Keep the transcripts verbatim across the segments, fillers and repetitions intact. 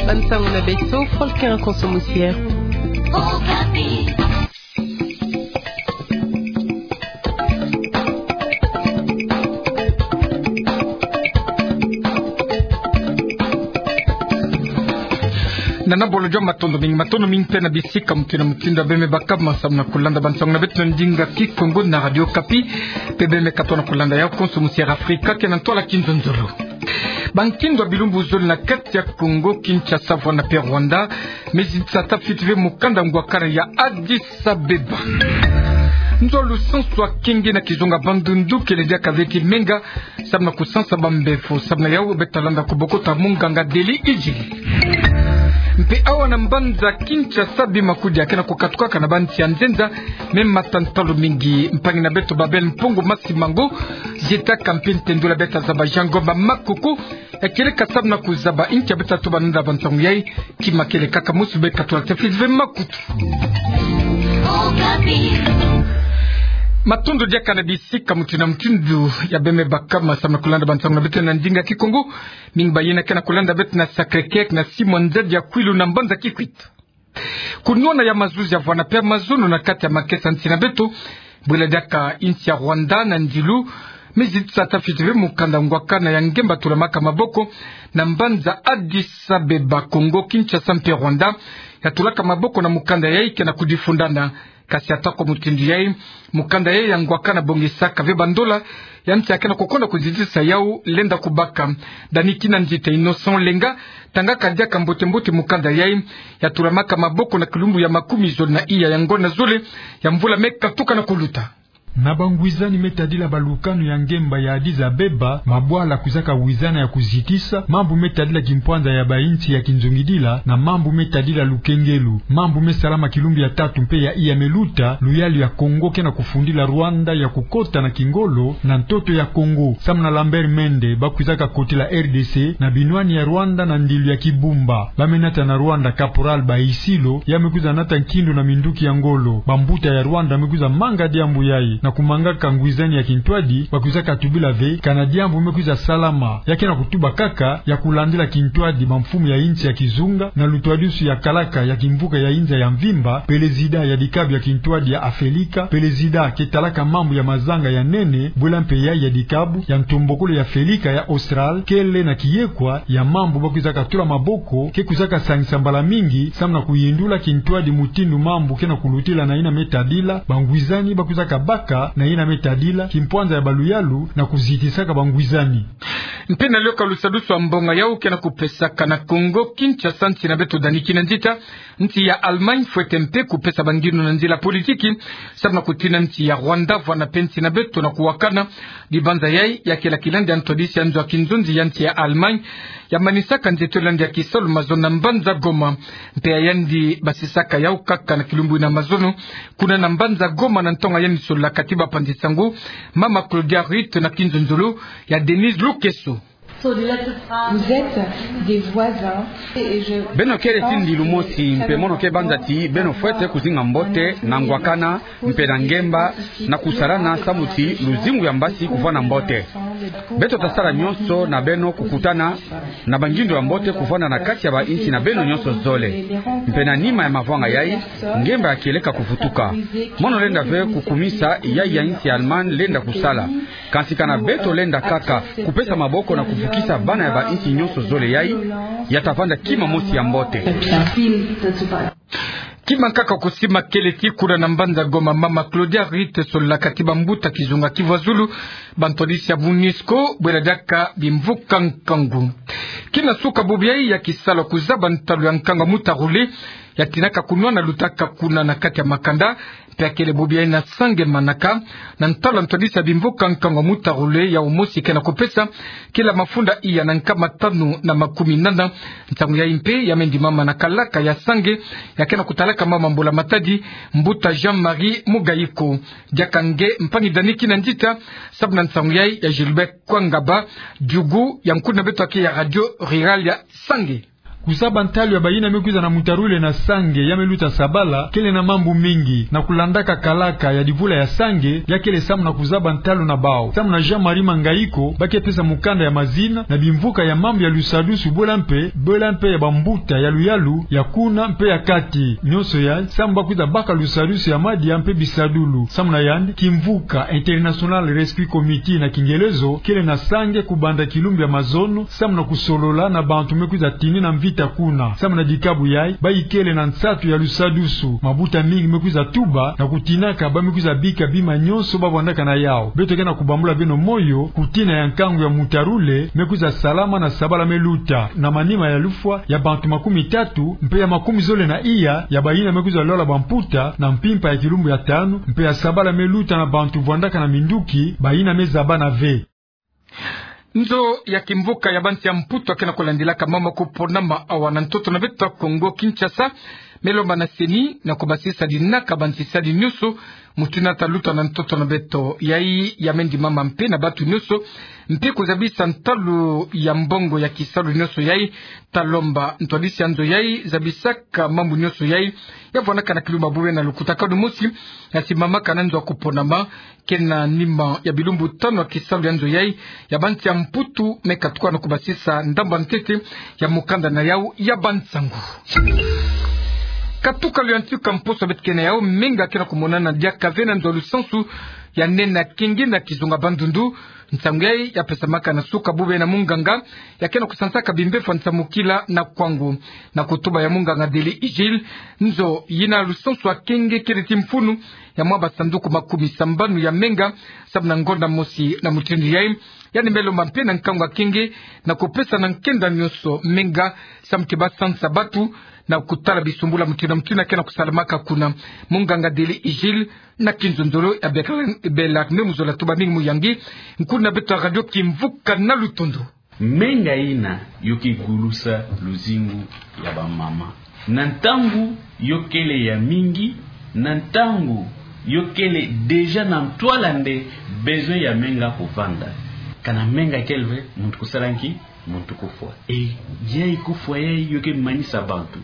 Bansango na beto, Volker Konso Musier. Nana bolo jo, matondo mingi, matondo mingi mpe na bisika mutindu na mutindu ya bembe bakama samu na kulanda bansango na beto na ndinga Kikongo na Radio Okapi, mpe bembe katoa na kulanda yau Konso Musier Afrika, ke na ntwala kinzonzolo. Bankindu ya bilumbu zole na kati ya Kongo Kinshasa, Havana mpe Rwanda, me zitisa tafiti ve mukanda ngwakana ya Addis Abeba. Nzo lusansu ya kenge na kizunga Bandundu kele diaka ve kimenga, samu na kusansa bambefo. Samu na yau beto talanda kubokota munganga Deli Idjili. Mpe awa na mbanza Kinshasa, bima kudi ya ke na kukatukaka na bansi ya nzenza me mata ntalu mingi. Mpangi na beto Babel Mpungu Masimango, zietaka mpe ntendula beto zaba Jean Ngomba Makuku, ya kieleka samu na kuzaba inki ya beto tatuba nanda bansango yai. Kima kieleka, ka musu, beka tula tafiti ve makutu. Matondo diaka na bisika mutindu na mutindu ya bembe bakama samu na kulanda bansango na beto na ndinga Kikongo. Mingi bayina ke na kulanda beto na Sacré-Cœur, na Simon Nzadi ya Kwilu na mbanza Kikwit. Kunwana ya mazuzi ya vwanda mpe mazono na kati ya makesa nsi na beto, bwela diaka insi ya Rwanda na ndilu, me zitisa tafiti ve mukanda ngwakana ya ngemba tulamaka maboko na mbanza Addis Abeba, Kongo Kinshasa mpe Rwanda, ya tulaka maboko na mukanda yai ke na kudifundana. Kasi ata kwa mutindu yai, mukanda yai ya ngwakana bongisaka ve bandola ya nsi ya ke na kukonda kuzitisa yau lenda kubaka. Dani Kinanzita Innocent Olenga tangaka diaka mbote-mbote mukanda yai ya tulamaka maboko na kilumbu ya makumi zole na iya ya ngonda zole ya mvula me katuka na kuluta. Na bangwizani me tadila balukanu ya ngemba ya Addis Abeba, mabwala kwizaka wizana ya kuzitisa, mambu me tadila kimpwanza ya bainsi ya kinzungidila, na mambu me tadila lukengelu. Mambu me salama kilumbu ya tatu mpe ya iya me luta, luyalu ya Kongo ke na kufundila Rwanda ya kukota na kingolo na ntoto ya Kongo. Samu na Lambert Mende, ba kwizaka kotila R D C na binwani ya Rwanda na ndilu ya Kibumba. Ba me nata na Rwanda Caporal Baisilo, ya me kwiza nata nkindu na minduki ya ngolo. Bambuta ya Rwanda me kwiza manga diambu yai. Na kumangaka ngwizani ya kintwadi, ba kwizaka tubila ve kana diambu me kwiza salama. Ya ke na kutuba kaka ya kulandila kintwadi bamfumu ya insi ya kizunga, na lutwadisu ya kalaka ya kimvuka ya inza ya mvimba, pelezida ya dikabu ya kintwadi ya Afelika, pelezida ke talaka mambu ya mazanga ya nene, bwela mpe yai ya dikabu ya ntombokolo ya Afelika ya Austral, kele na kiyekwa ya mambu ba kwizaka tula maboko, ke kwizaka sangisa mbala mingi, samu na kuyindula kintwadi mutindu mambu ke na kulutila na yina me tadila bangwizani, ba kwizaka baka na yina me tadila kimpwanza ya baluyalu na kuzitisaka bangwizani. Mpe na lioka lusadusu ya mbonga yau ke na kupesaka na Kongo Kinshasa, nsi na beto Dani Kinanzita, nsi ya Allemagne fwete mpe kupesa bangindu na nzila politiki, samu na kutina nsi ya Rwanda vwanda mpe nsi na beto na kuwakana. Dibanza yai ya kela kilandi ya ntwadisi ya nzo ya kinzonzi ya nsi ya Allemagne, ya manisaka nzietolo yandi ya kisalu mazono na mbanza Goma. Mpe ya yandi basisaka yau kaka na kilumbu ina mazono, kuna na mbanza Goma, na ntonga ya yandi sola kati bapanzi nsangu, mama Claudia Ruth, na kinzonzolo ya Denise Lukeso. Vous êtes des voisins et je... Beno kele ti ndilu mosi, mpe mono ke banza ti beno fwete kuzinga mbote na ngwakana mpe na ngemba na kusalana, samu ti luzingu ya mbasi kuvwanda mbote. Beto tasala nyonso na beno kukutana na bangindu ya mbote kuvwanda na kati ya bainsi na beno nyonso zole. Mpe na nima ya mavwanga yai, ngemba ya kieleka kuvutuka. Mono lenda ve kukumisa yai ya insi ya Allemagne lenda kusala. Kansi kana beto lenda kaka kupesa maboko na kuvukisa bana ya bainsi nyonso zole yai, ya tavanda kima mosi ya mbote. Kima nkaka kusima kele ti kuna na mbanza Goma, mama Claudia Ruth sola kati bambuta kizunga kivwazulu bantwadisi ya MONUSCO, bwela diaka bimvuka nkangu. Kina suka bubu yai ya kisalu kuzaba ntalu ya nkangu ya muta rouler, ya tinaka kunwana lutaka kuna na kati ya makanda, mpe ya kele bubu yai na Sange Manaka, na ntalu ya ntwadisi ya bimvuka nkangu ya muta rouler ya umosi ke na kupesa kila mafunda iya na nkama tanu na makumi nana. Nsangu yai mpe ya me ndimama na kalaka ya Sange, ya ke na kutalaka mama mbula matadi, mbuta Jean-Marie Mugayiko. Diaka nge mpangi Dani Kinanzita, samu na nsangu yai ya Gilbert Kwangaba, diugu ya nkuna beto ya ke ya Radio Rurale ya Sange. Kuzaba ntalu ya bayina me kwiza na Mutarule na Sange ya me luta sabala, kele na mambu mingi, na kulandaka kalaka ya divula ya Sange, ya kele samu na kuzaba ntalu na bau. Samu na Jean-Marie Mangaiko, ba ke pesa mukanda ya mazina na bimvuka ya mambu ya lusadusu bwela mpe, bwela mpe ya bambuta ya luyalu, ya kuna mpe ya kati. Nionso ya samu ba kwiza baka lusadusu ya madia mpe bisadulu. Samu na yandi, kimvuka International Rescue Committee na kingelezo, kele na Sange kubanda kilumbu ya mazono, samu na kusolola na bantu me kwiza tinina mvita kuna. Samu na dikabu yayi, ba ikele na nsatu ya lusadusu. Mabuta mingi me kwiza tuba, na kutinaka ba me kwiza bika bima nionso ba vwandaka na yau. Beto ke na kubambula beno moyo, kutina ya nkangu ya Mutarule, me kwiza salama na sabala me luta, na manima ya lufwa ya bantu makumi tatu, mpe ya makumi zole na iya, ya bayina me kwiza lola bamputa, na mpimpa ya kilumbu ya tanu, mpe ya sabala me luta na bantu vwandaka na minduki, bayina me zabana ve. Nzo ya kimvuka ya bansi ya Mputu ya ke na kulandilaka mama kuponama awa na ntoto na beto ya Kongo Kinshasa, me lomba na CENI na kubasisa dinaka bansi sadi nionso, mutu yina ta luta na ntoto na beto. Yayi ya me ndimama mpe na batu nionso, mpe kuzabisa ntalu ya mbongo ya kisalu nionso yayi, ta lomba ntwadisi ya nzo yayi, zabisaka mambu nionso yayi, ya vwandaka na kilumbu ya bubena lukutakanu mosi, ya simbamaka na nzo ya kuponama, ke na nima ya bilumbu tanu ya kisalu ya nzo yayi, ya bansi ya Mputu, me katuka na kubasisa ndambu ya ntete ya mukanda na yau ya bansangu. Katuka lo ya ntika mposo beto ke na yau, menga ke na kumonana diaka ve na nzo ya lusansu ya nene ya kenge na kizunga Bandundu. Nsangu yayi ya pesamaka na suka bubena munganga ya ke na kusansaka bimbevo ya nsamukila na kwangu. Na kutuba ya munganga Deli Igil, nzo yina lusansu ya kenge kele ti mfunu ya mwa basanduku makumi sambanu ya menga, samu na ngonda mosi. Na mutindu yayi, yandi me lomba mpe na nkangu ya kenge na kupesa na nkenda nionso menga, samu ti ba sansa batu na kutala bisumbula mutindu na mutindu ya ke na kusalamaka kuna. Munganga Deli Igil, na kinzonzolo ya Bela-, Bellarmé mu zola tuba mingi muyangi, nkuna beto ya radio Kimvuka na Lutondo. Menga yina yo ke gulusa luzingu ya bamama. Na ntangu yo kele ya mingi, na ntangu yo kele déjà na ntwala nde besoin ya menga kuvanda. Kana menga kele ve, muntu kusala nki? Muntu kufwa. E, yayi kufwa yayi yo ke manisa bantu.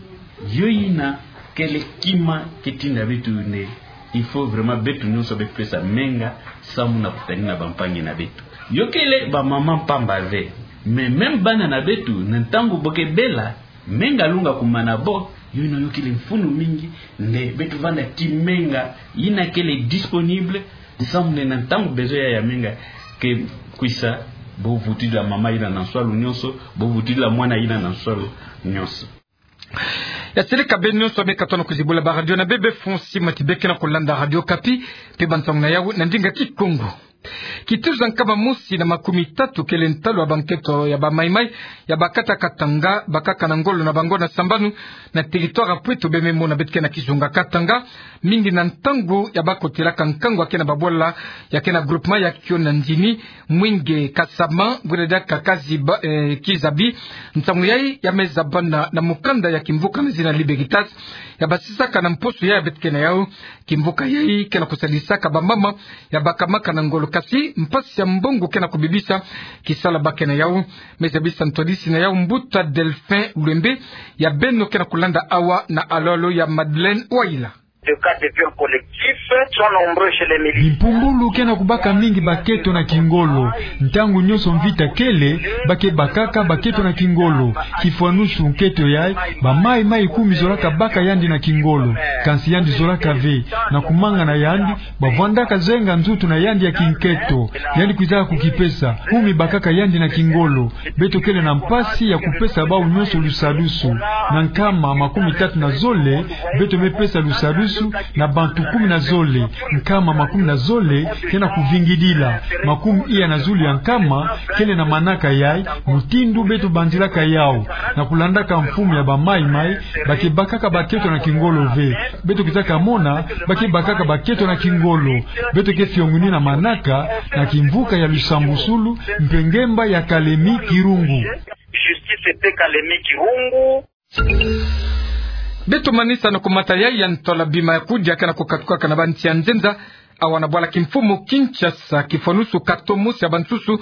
Yo yina kele kima ke tinda beto nde il faut vraiment beto nionso beto pesa menga samu na kutanina bampangi na beto. Yo kele bamama mpamba ve. Mais même bana na beto, na ntangu bo ke bela, menga lunga kumana bo, yo yina yo kele mfunu mingi, nde beto vanda ti menga yina kele disponible, samu nde na ntangu besoin ya, ya menga ke kwisa, bo vutudila mama yina na nswalu nionso, bo vutudila mwana yina na nswalu nionso. Ya seleka beno nionso me katono kuzibula ba radio na bebe fonsi mati beke na kulanda Radio Okapi, mpe bansangu na yau na ndinga Kikongo. Kituza nkama mosi na makumi tatu kele ntalu ya banketo ya ba Maï-Maï, ya ba kati ya Katanga, bakaka na ngolo na bango na sambanu, na territoire ya Pweto, be me mona beto ke na kizunga Katanga, mingi na ntangu ya ba kotelaka nkangu ya ke na babwala, ya ke na groupement ya Kiona Ndini, Mwingi, Kasama, bwela diaka Kaziba, eh, Kizabi. Nsangu yayi ya me zabana na mukanda ya kimvuka na zina Liberitas, ya basisaka na mposo yayi beto ke na yau. Kimvuka yayi ke na kusadisaka bamama ya bakamaka na ngolo, kasi mpasi ya mbongo ke na kubibisa kisalu ba ke na yau. Me zabisa ntwadisi na yau mbuta Delphin Lwembe, ya beno ke na kulanda awa na alolo ya Madeleine Wayila. De cas de viol collectif sont nombreux chez les miliciens. Bimpumbulu ke na kubaka mingi baketo na kingolo. Ntangu nionso mvita kele, ba ke bakaka baketo na kingolo. Kifwanusu nketo yayi, ba Maï-Maï kumi zolaka baka yandi na kingolo. Kansi yandi zolaka ve. Na kumanga na yandi, ba vwandaka zenga nzutu na yandi ya kinketo. Yandi kwizaka kukipesa. Kumi bakaka yandi na kingolo. Beto kele na mpasi ya kupesa bau nionso lusadusu. Na nkama makumi tatu na zole, beto me pesa lusadusu na bantu kumi na zole. Nkama makumi na zole ke na kuvingidila. Makumi iya na zulu ya nkama kele na manaka yayi, mutindu beto banzilaka yau. Na kulandaka mfumu ya ba Maï-Maï, ba ke bakaka baketo na kingolo ve. Beto kwizaka mona, ba ke bakaka baketo na kingolo. Beto ke fiongunina manaka na kimvuka ya lusambusulu, mpe ngemba ya Kalemi Kirungu. Justice pe Kalemi Kirungu. Beto manisa na kumata yayi ya ntwala bima ya kudia ke na kukatukaka na bansi ya nzenza, awa na bwala kimfumu Kinshasa, kifwanusu katomo mosi ya bansusu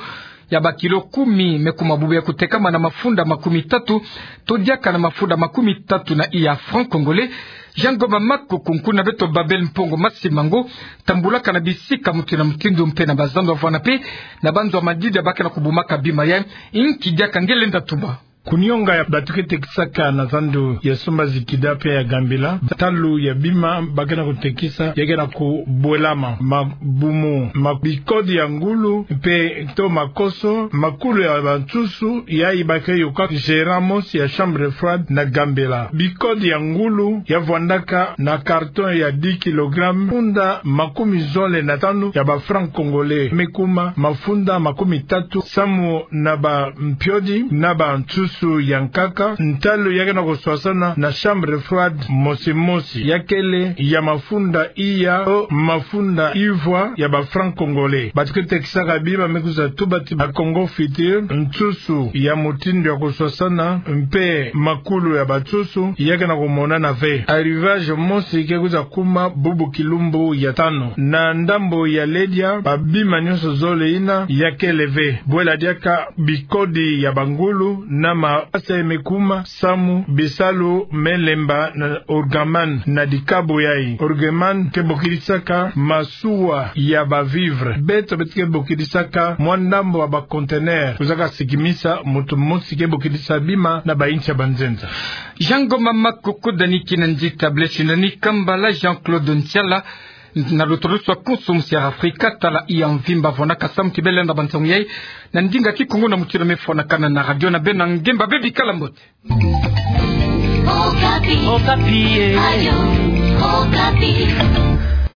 ya bakilo kumi, me kuma bubu ya kutekama na mafunda makumi tatu, to diaka na mafunda makumi tatu na iya franc congolais. Jean Ngoma Makuku, nkuna beto Babel Mpongo Masimango, tambulaka na bisika mutindu na mutindu mpe na bazando, avwanda mpe na banzo ya madidi ya bakena kubumaka bima ya inki diaka nge lenda tuba. Kunionga ya bato ke tekisaka na zandu ya Sumba Zikida mpe ya Gambela, ntalu ya bima bakena kutekisa yakena kubwelama, mabumu, ma-, bikodi ya ngulu, mpe to makoso, makulu ya bansusu, yayi ba ke yoka gérant mosi ya chambre froide na Gambela. Bikodi ya ngulu ya vwandaka na carton ya dix kilogrammes, mafunda makumi zole na tanu ya ba francs congolais, me kuma mafunda makumi tatu samu na ba mpiodi na bansusu ya nkaka. Ntalu yakena kuswasana na chambre froide mosi mosi, ya kele ya mafunda iya to mafunda ivwa ya ba francs congolais. Bato ke tekisaka bima me kwiza tuba ti ba Congo Futur, nsusu ya mutindu ya kuswasana mpe makulu ya bansusu yakena kumonana ve. Arrivage mosi ke kwiza kuma bubu kilumbu ya tanu. Na ndambo ya ledia, ba bima nyonso zole yina ya kele ve. Bwela diaka bikodi ya bangulu na mapasa, me kuma samu bisalu me lemba na Orgaman na dikabu yayi. Orgaman ke bokidisaka masuwa ya ba vivre. Beto, beto ke bokidisaka mwa ndambo ya ba conteneurs. Kwiza ka sikimisa mutu mosi ke bokidisa bima na ba insi ya banzenza. Jean Ngoma Makuku, dani kina nzita Blaise Ndani, kambala Jean-Claude Nsiala, na lutoroso ya Konso Musiara Afrika, tala iya mvimba vwandaka samu ti bele landa bansangu yayi na ndinga Kikongo na mutindu me fwanakana na radio na beno. Ngemba bê, bikala mbote. Okapi. Okapi, eh. Radio Okapi.